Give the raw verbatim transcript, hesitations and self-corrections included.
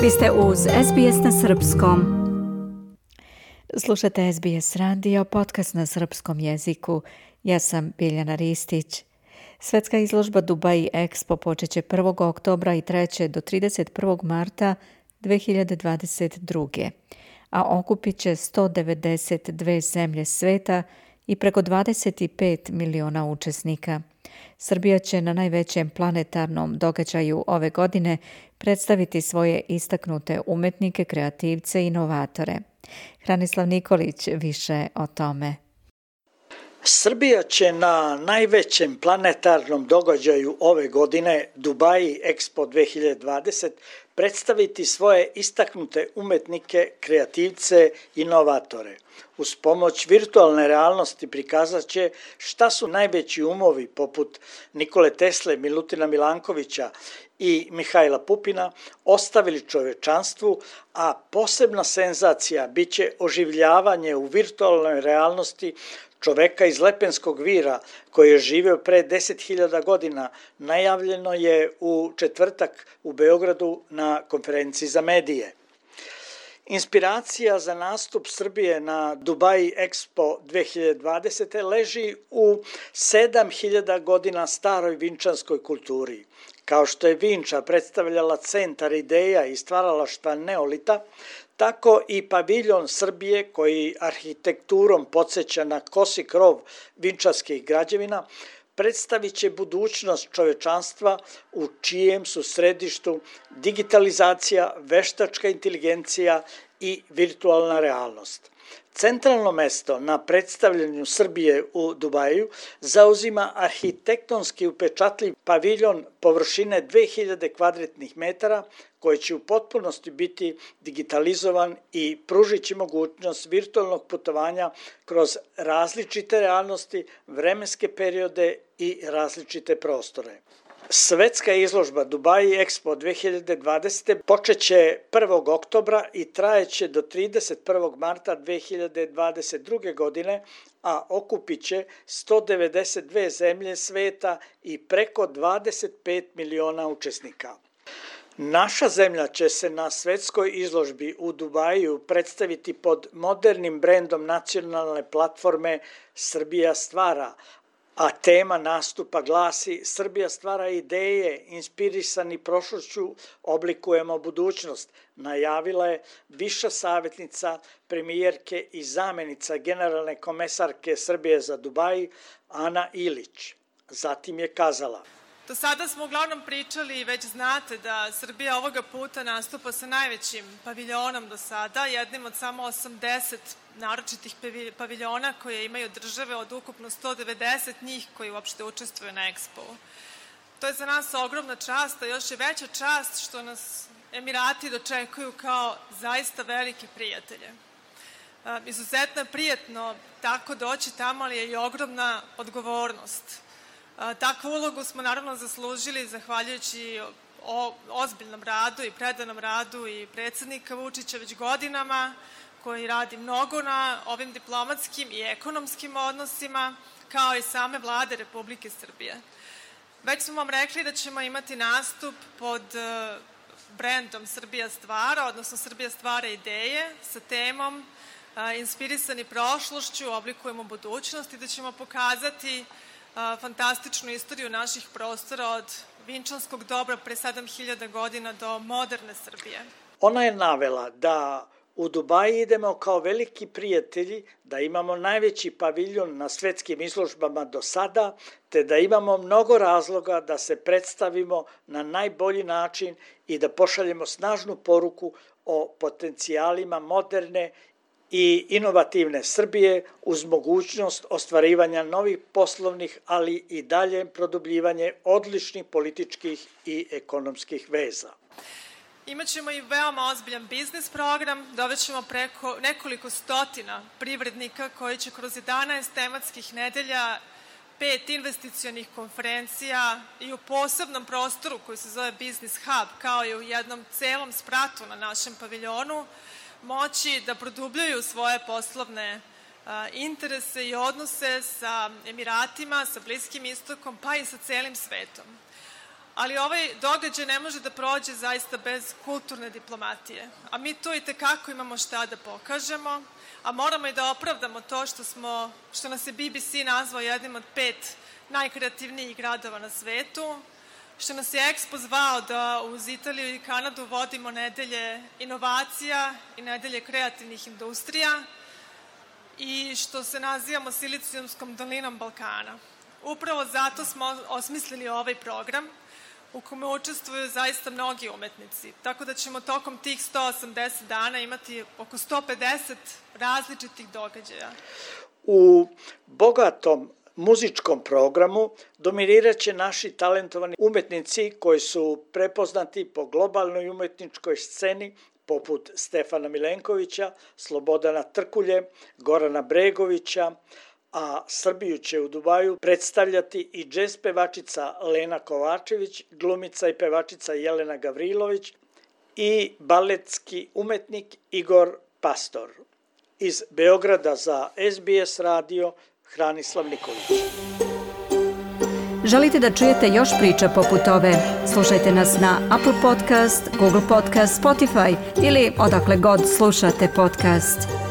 Vi ste uz S B S na srpskom. Slušate S B S radio, podcast na srpskom jeziku. Ja sam Biljana Ristić. Svetska izložba Dubai Expo počet će prvog oktobra i traće do trideset prvog marta dve hiljade dvadeset druge. a okupit će sto devedeset dve zemlje sveta i preko dvadeset pet miliona učesnika. Srbija će na najvećem planetarnom događaju ove godine predstaviti svoje istaknute umetnike, kreativce i inovatore. Hranislav Nikolić više o tome. Srbija će na najvećem planetarnom događaju ove godine, Dubai Expo dve hiljade dvadeset, predstaviti svoje istaknute umetnike, kreativce, inovatore. Uz pomoć virtualne realnosti prikazat će šta su najveći umovi poput Nikole Tesle, Milutina Milankovića i Mihajla Pupina ostavili čovečanstvu, a posebna senzacija biće oživljavanje u virtualnoj realnosti čoveka iz Lepenskog vira koji je živeo pre deset hiljada godina. Najavljeno je u četvrtak u Beogradu na konferenciji za medije. Inspiracija za nastup Srbije na Dubai Expo dve hiljade dvadeset. leži u sedam hiljada godina staroj vinčanskoj kulturi. Kao što je Vinča predstavljala centar ideja i stvaralaštva neolita, tako i paviljon Srbije, koji arhitekturom podsjeća na kosi krov vinčanskih građevina, predstavit će budućnost čovečanstva u čijem su središtu digitalizacija, veštačka inteligencija i virtualna realnost. Centralno mesto na predstavljanju Srbije u Dubaju zauzima arhitektonski upečatljiv paviljon površine dve hiljade kvadratnih metara koji će u potpunosti biti digitalizovan i pružit će mogućnost virtualnog putovanja kroz različite realnosti, vremenske periode i različite prostore. Svetska izložba Dubai Expo dve hiljade dvadeset. počet će prvog oktobra i trajeće do trideset prvog marta dve hiljade dvadeset druge. godine, a okupit će sto devedeset dve zemlje sveta i preko dvadeset pet miliona učesnika. Naša zemlja će se na svetskoj izložbi u Dubaju predstaviti pod modernim brendom nacionalne platforme Srbija stvara, a tema nastupa glasi Srbija stvara ideje, inspirisani prošlošću oblikujemo budućnost, najavila je viša savjetnica premijerke i zamenica generalne komesarke Srbije za Dubai, Ana Ilić. Zatim je kazala: Do sada smo uglavnom pričali i već znate da Srbija ovoga puta nastupa sa najvećim paviljonom do sada, jednim od samo osamdeset naročitih paviljona koje imaju države od ukupno sto devedeset njih koji uopšte učestvuju na Expo-u. To je za nas ogromna čast, a još je veća čast što nas Emirati dočekuju kao zaista velike prijatelje. Izuzetno je prijetno tako doći tamo, ali je i ogromna odgovornost. Takvu ulogu smo naravno zaslužili zahvaljujući o ozbiljnom radu i predanom radu i predsjednika Vučića već godinama, koji radi mnogo na ovim diplomatskim i ekonomskim odnosima, kao i same vlade Republike Srbije. Već smo vam rekli da ćemo imati nastup pod brendom Srbija stvara, odnosno Srbija stvara ideje sa temom inspirisani prošlošću, oblikujemo budućnost i da ćemo pokazati fantastičnu istoriju naših prostora od vinčanskog dobra pre sedam hiljada godina do moderne Srbije. Ona je navela da u Dubaji idemo kao veliki prijatelji, da imamo najveći paviljon na svetskim izložbama do sada, te da imamo mnogo razloga da se predstavimo na najbolji način i da pošaljemo snažnu poruku o potencijalima moderne i inovativne Srbije uz mogućnost ostvarivanja novih poslovnih, ali i dalje produbljivanje odličnih političkih i ekonomskih veza. Imaćemo i veoma ozbiljan biznis program, dovećemo preko nekoliko stotina privrednika koji će kroz jedanaest tematskih nedelja, pet investicionih konferencija i u posebnom prostoru koji se zove Business Hub, kao i u jednom celom spratu na našem paviljonu, moći da produbljuju svoje poslovne a, interese i odnose sa Emiratima, sa Bliskim istokom, pa i sa celim svetom. Ali ovaj događaj ne može da prođe zaista bez kulturne diplomatije. A mi tu i tekako imamo šta da pokažemo, a moramo i da opravdamo to što, smo, što nas je B B C nazvao jednim od pet najkreativnijih gradova na svetu, što nas je Expo zvao da uz Italiju i Kanadu vodimo nedelje inovacija i nedelje kreativnih industrija i što se nazivamo Silicijumskom dolinom Balkana. Upravo zato smo osmislili ovaj program u kome učestvuju zaista mnogi umetnici. Tako da ćemo tokom tih sto osamdeset dana imati oko sto pedeset različitih događaja. U bogatom muzičkom programu dominirat će naši talentovani umetnici koji su prepoznati po globalnoj umetničkoj sceni poput Stefana Milenkovića, Slobodana Trkulje, Gorana Bregovića, a Srbiju će u Dubaju predstavljati i džez pevačica Lena Kovačević, glumica i pevačica Jelena Gavrilović i baletski umetnik Igor Pastor. Iz Beograda za S B S radio Hranislav Nikolić. Želite da čujete još priča poput ove? Slušajte nas na Apple Podcast, Google Podcast, Spotify ili odakle god slušate podcast.